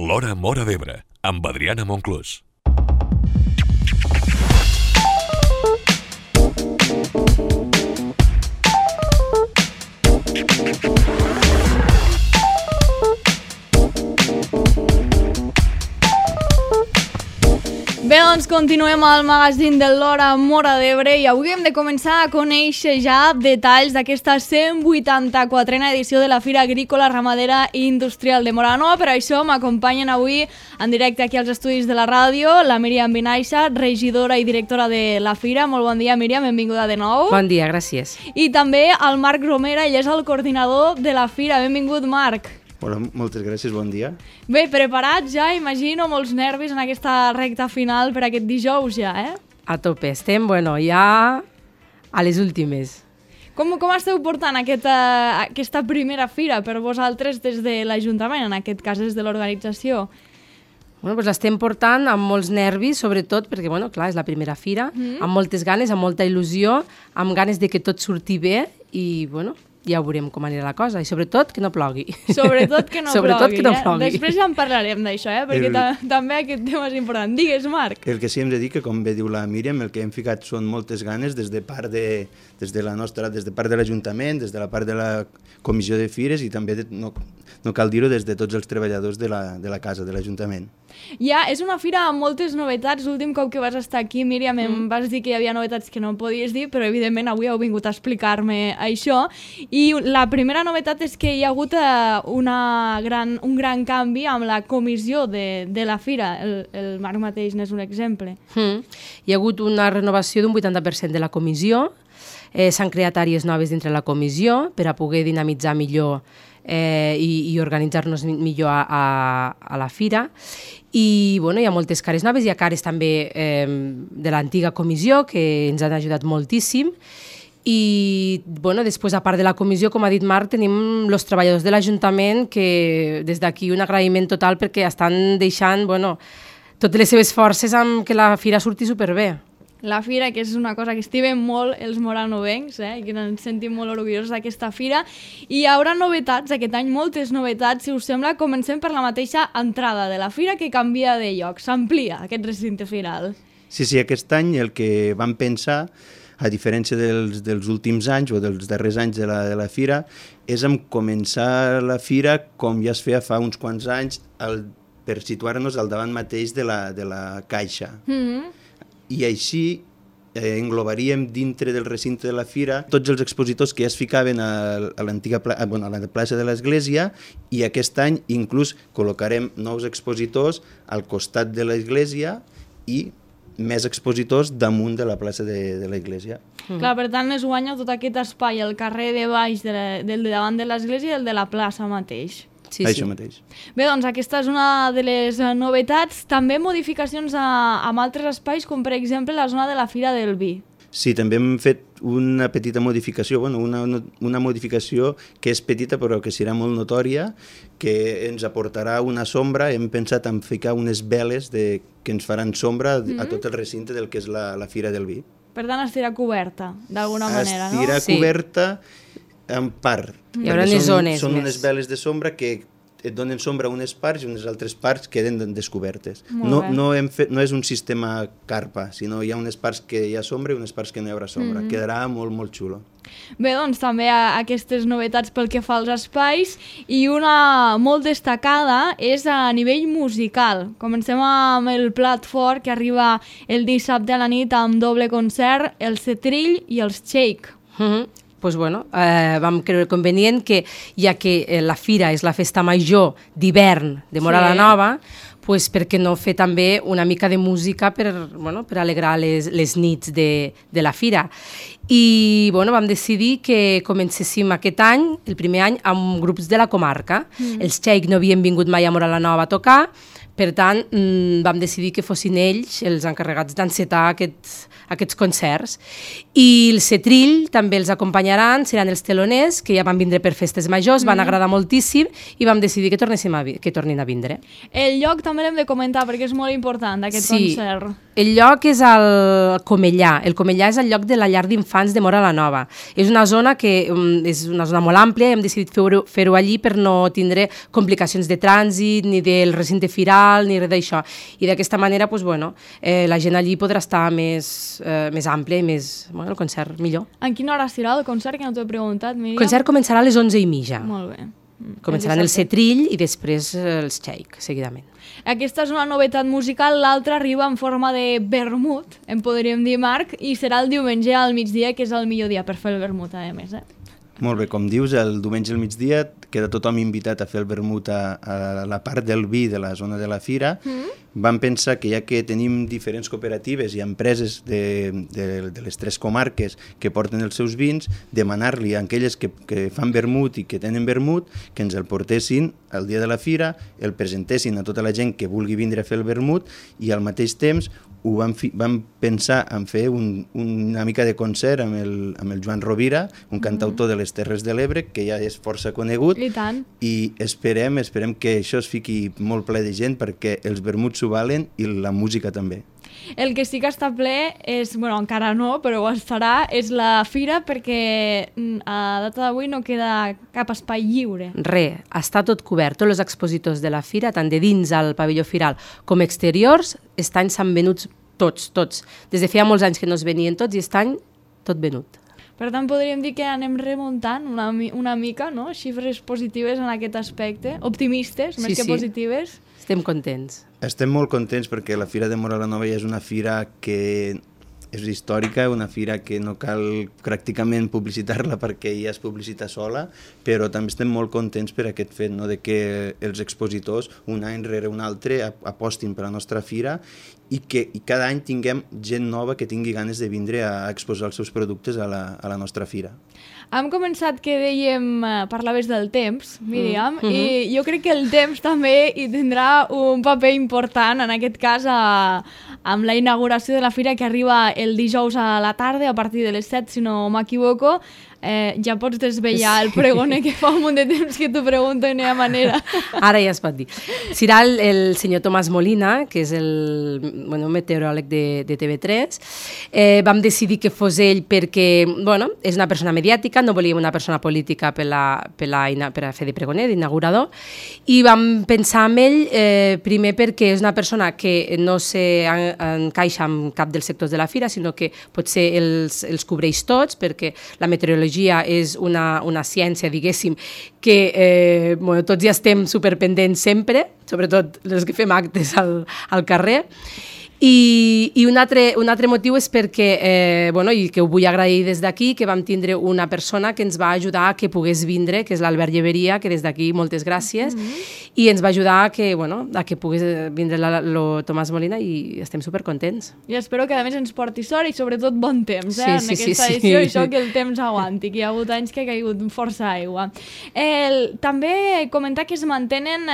L'Hora Móra d'Ebre, amb Adriana Monclús. Bé, doncs continuem al magazín de l'Hora Móra d'Ebre i avui hem de començar a conèixer ja detalls d'aquesta 184a edició de la Fira Agrícola, Ramadera i Industrial de Móra la Nova. Per això m'acompanyen avui en directe aquí als estudis de la ràdio la Míriam Benaixa, regidora i directora de la Fira. Molt bon dia, Míriam, benvinguda de nou. Bon dia, gràcies. I també el Marc Romera, ell és el coordinador de la Fira. Benvingut, Marc. Hola, moltes gràcies, bon dia. Bé, preparats ja, imagino, molts nervis en aquesta recta final per aquest dijous ja, eh? A tope, estem, ja a les últimes. Com esteu portant aquesta primera fira per vosaltres des de l'Ajuntament, en aquest cas des de l'organització? L'estem portant amb molts nervis, sobretot perquè, clar, és la primera fira, amb moltes ganes, amb molta il·lusió, amb ganes de que tot surti bé i, ja veurem com anirà la cosa, i sobretot que no plogui. Sobretot que no plogui. Després ja en parlarem d'això, perquè també aquest tema és important. Digues, Marc. El que sí hem de dir que, com bé diu la Míriam, el que hem ficat són moltes ganes des de part de l'Ajuntament, des de la part de la Comissió de Fires i també, no cal dir-ho, des de tots els treballadors de la casa, de l'Ajuntament. Ja, és una fira amb moltes novetats. L'últim cop que vas estar aquí, Míriam, em vas dir que hi havia novetats que no em podies dir, però evidentment avui heu vingut a explicar-me això. I la primera novetat és que hi ha hagut un gran canvi amb la comissió de la fira. El Marc mateix n'és un exemple. Hi ha hagut una renovació d'un 80% de la comissió. S'han creat àrees noves dintre la comissió per a poder dinamitzar millor i organitzar-nos millor a la fira. I hi ha moltes cares noves, hi ha cares també de l'antiga comissió que ens han ajudat moltíssim. I després, a part de la comissió, com ha dit Marc, tenim els treballadors de l'Ajuntament que des d'aquí un agraïment total perquè estan deixant totes les seves forces amb que la fira surti superbé. La fira, que és una cosa que estimem molt els moranovencs, i que ens sentim molt orgullosos d'aquesta fira. I hi haurà novetats, aquest any moltes novetats, si us sembla. Comencem per la mateixa entrada de la fira, que canvia de lloc, s'amplia aquest recinte firal. Sí, aquest any el que vam pensar, a diferència dels últims anys o dels darrers anys de la fira, és en començar la fira com ja es feia fa uns quants anys, per situar-nos al davant mateix de la caixa. I així englobaríem dintre del recinte de la fira tots els expositors que ja es ficaven a la plaça de l'Església, i aquest any inclús col·locarem nous expositors al costat de l'Església i més expositors damunt de la plaça de l'Església. Clar, per tant es guanya tot aquest espai, el carrer de baix del de davant de l'Església i el de la plaça mateix. Sí. Això mateix. Bé, doncs aquesta és una de les novetats. També modificacions amb altres espais, com per exemple la zona de la Fira del Vi. Sí, també hem fet una petita modificació, una modificació que és petita però que serà molt notòria, que ens aportarà una sombra. Hem pensat en ficar unes veles que ens faran sombra a tot el recinte del que és la Fira del Vi. Per tant, estirà coberta, d'alguna manera, no? Estirà coberta en part. Hi haurà unes zones Són més. unes veles de sombra que et donen sombra a unes parts i unes altres parts queden descobertes. No és un sistema carpa, sinó hi ha unes parts que hi ha sombra i unes parts que no hi haurà sombra. Quedarà molt, molt xulo. Bé, doncs també aquestes novetats pel que fa als espais, i una molt destacada és a nivell musical. Comencem amb el plat fort que arriba el dissabte a la nit amb doble concert, el Setrill i els Shake. Vam creure convenient que, ja que la fira és la festa major d'hivern de Móra la Nova, per què no fer també una mica de música per alegrar les nits de la fira. I vam decidir que comencéssim aquest any, el primer any, amb grups de la comarca. Els Shake no havien vingut mai a Móra la Nova a tocar, per tant, vam decidir que fossin ells els encarregats d'encetar aquests concerts. I el Setrill també els acompanyaran, seran els teloners, que ja van vindre per festes majors, van agradar moltíssim i vam decidir que tornin a vindre. El lloc també l'hem de comentar perquè és molt important, aquest concert. El lloc és el Comellà. El Comellà és el lloc de la llar d'infants de Móra la Nova. És una zona que és una zona molt àmplia i hem decidit fer-ho allí per no tindre complicacions de trànsit, ni del recinte firal, ni res d'això. I d'aquesta manera, doncs, bueno, la gent allí podrà estar més àmplia i més, bueno, el concert millor. En quina hora serà el concert, que no t'ho he preguntat, Míriam? El concert començarà a les 11:30. Molt bé. Començaran el Setrill i després els Xeic, seguidament. Aquesta és una novetat musical, l'altra arriba en forma de vermut, en podríem dir, Marc, i serà el diumenge al migdia, que és el millor dia per fer el vermut, a més. Molt bé, com dius, el diumenge al migdia queda tothom invitat a fer el vermut a la part del vi de la zona de la fira. Vam pensar que ja que tenim diferents cooperatives i empreses de les 3 comarques que porten els seus vins, demanar-li a aquelles que fan vermut i que tenen vermut que ens el portessin el dia de la fira, el presentessin a tota la gent que vulgui vindre a fer el vermut i al mateix temps vam pensar en fer una mica de concert amb el Joan Rovira, un cantautor de les Terres de l'Ebre, que ja és força conegut. I tant. I esperem que això es fiqui molt ple de gent perquè els vermuts s'ho valen i la música també. El que sí que està ple és, bueno, encara no, però ho estarà, és la fira, perquè a data d'avui no queda cap espai lliure. Està tot cobert. Tots els expositors de la fira, tant de dins al pavelló firal com exteriors, estan s'han venuts tots. Des de feia molts anys que no es venien tots i estan tot venut. Per tant, podríem dir que anem remuntant una mica, no? Xifres positives en aquest aspecte, optimistes, més que positives. Estem contents. Estem molt contents perquè la Fira de Móra la Nova ja és una fira que és històrica, una fira que no cal pràcticament publicitar-la perquè ja es publicita sola, però també estem molt contents per aquest fet, no? De que els expositors un any rere un altre apostin per la nostra fira i cada any tinguem gent nova que tingui ganes de vindre a exposar els seus productes a la nostra fira. Hem començat que dèiem, parlaves del temps, Míriam, i jo crec que el temps també hi tindrà un paper important, en aquest cas amb la inauguració de la fira que arriba el dijous a la tarda, a partir de les 7, si no m'equivoco. Ja pots desvetllar el pregoner que fa un munt de temps que t'ho pregunto i no hi ha manera. Ara ja es pot dir. Serà el senyor Tomàs Molina, que és el meteoròleg de TV3. Vam decidir que fos ell perquè és una persona mediàtica, no volíem una persona política per a fer de pregoner, d'inaugurador, i vam pensar en ell primer perquè és una persona que no s'encaixa en cap dels sectors de la fira, sinó que potser els cobreix tots, perquè la meteorologia és una ciència, diguéssim, que tots ja estem superpendents sempre, sobretot els que fem actes al carrer. I un altre motiu és perquè, i que ho vull agrair des d'aquí, que vam tindre una persona que ens va ajudar a que pogués vindre, que és l'Albert Lleveria, que des d'aquí moltes gràcies, i ens va ajudar a que pogués vindre el Tomàs Molina i estem supercontents. I espero que a més ens porti sort i sobretot bon temps en aquesta edició, i això que el temps aguanti, que hi ha hagut anys que ha caigut força aigua. També comentar que es mantenen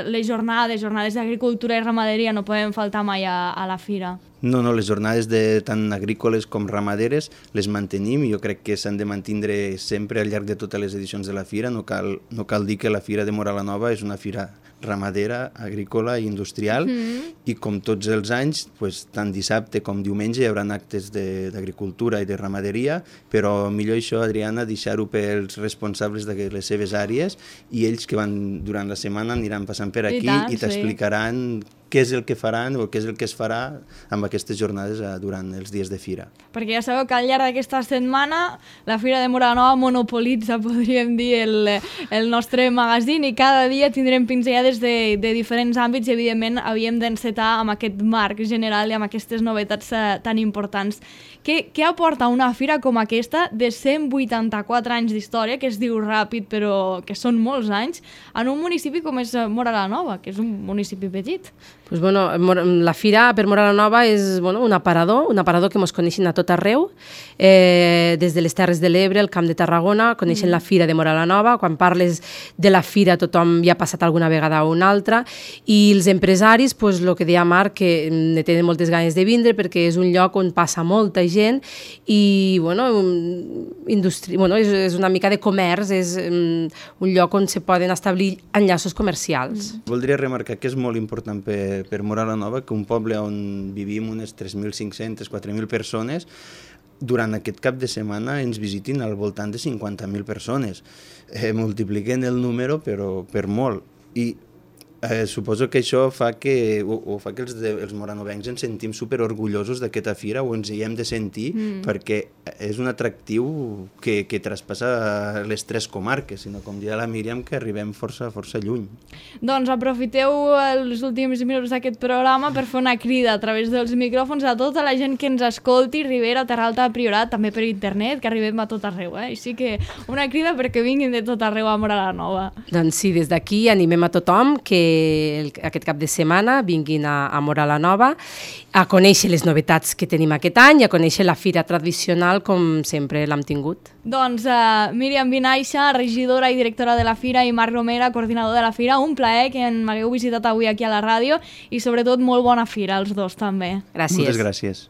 les jornades d'agricultura i ramaderia, no podem faltar mai a la fira. No, les jornades tant agrícoles com ramaderes les mantenim i jo crec que s'han de mantindre sempre al llarg de totes les edicions de la fira. No cal dir que la Fira de Móra la Nova és una fira ramadera, agrícola i industrial, i com tots els anys, tant dissabte com diumenge hi haurà actes d'agricultura i de ramaderia, però millor això, Adriana, deixar-ho pels responsables de les seves àrees, i ells que van durant la setmana aniran passant per aquí i t'explicaran què és el que faran o què és el que es farà amb aquestes jornades durant els dies de fira. Perquè ja sabeu que al llarg d'aquesta setmana la Fira de Móra la Nova monopolitza, podríem dir, el nostre magazín, i cada dia tindrem pinzellades de diferents àmbits i evidentment havíem d'encetar amb aquest marc general i amb aquestes novetats tan importants. Què aporta una fira com aquesta de 184 anys d'història, que es diu ràpid però que són molts anys, en un municipi com és Móra la Nova, que és un municipi petit? La fira per Móra la Nova és un aparador que ens coneixen a tot arreu, des de les Terres de l'Ebre, el Camp de Tarragona, coneixen la Fira de Móra la Nova. Quan parles de la fira tothom ja ha passat alguna vegada a una altra, i els empresaris, el que deia Marc, que ne tenen moltes ganes de vindre perquè és un lloc on passa molta gent i és una mica de comerç, és un lloc on se poden establir enllaços comercials. Voldria remarcar que és molt important per per Móra la Nova, que un poble on vivim unes 3.500, 4.000 persones, durant aquest cap de setmana ens visitin al voltant de 50.000 persones. Multipliquen el número, però per molt. I suposo que això fa que, fa que els moranovencs ens sentim superorgullosos d'aquesta fira, o ens hi hem de sentir, perquè és un atractiu que traspassa les 3 comarques, sinó, com deia la Míriam, que arribem força lluny. Doncs aprofiteu els últims minuts d'aquest programa per fer una crida a través dels micròfons a tota la gent que ens escolti, Ribera, Terralta, Priorat, també per internet, que arribem a tot arreu. Així que una crida perquè vinguin de tot arreu a Móra la Nova. Doncs sí, des d'aquí animem a tothom que aquest cap de setmana vinguin a Móra la Nova a conèixer les novetats que tenim aquest any i a conèixer la fira tradicional com sempre l'hem tingut. Doncs Míriam Vinaixa, regidora i directora de la fira, i Marc Romera, coordinador de la fira, un plaer que m'hagueu visitat avui aquí a la ràdio i sobretot molt bona fira, els dos també. Gràcies. Moltes gràcies.